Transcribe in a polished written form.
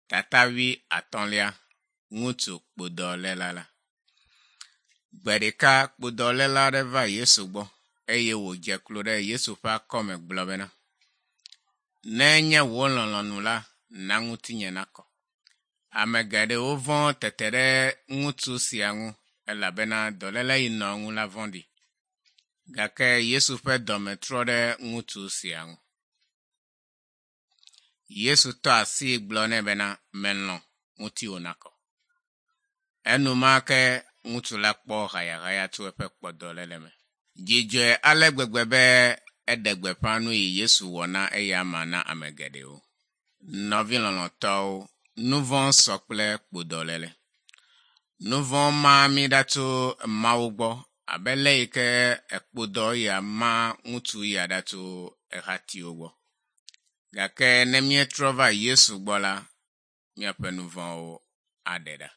Tata wuiatɔ̃lia, ŋutsu kpodɔléla la. Gbe ɖeka kpodɔléla aɖe va Yesu gbɔ eye wòdze klo ɖe Yesu ƒe akɔme gblɔ bena, Ne enye wò lɔlɔ̃nu la, na ŋutinye nakɔ. Ame geɖewo vɔ̃ tete ɖe ŋutsu sia ŋu elabena dɔléle yi nɔ eŋu la vɔ̃ɖi. Gake Yesu ƒe dɔme trɔ ɖe ŋutsu sia ŋu. Yesu tɔ asii gblɔ nɛ bena, melɔ̃, ŋutiwò nakɔ. Enumake ŋutsu la kpɔ hayahaya tso eƒe kpɔdɔléle me. Dzi dzɔe ale gbegbe be eɖe gbeƒã nu yi Yesu wɔ na eyama na ame geɖewo. Nɔvi lɔlɔ̃tɔwo, nu vɔ̃ sɔ kple kpodɔléle. Nu vɔ̃ maa mí ɖa tso Mawu gbɔ abe le yi ke ekpodɔ ya ma ŋutsu ya ɖa tso ehatiwo gbɔ. Gake ne míetrɔ va Yesu gbɔ la, míaƒe nu vɔ̃wo aɖe ɖa.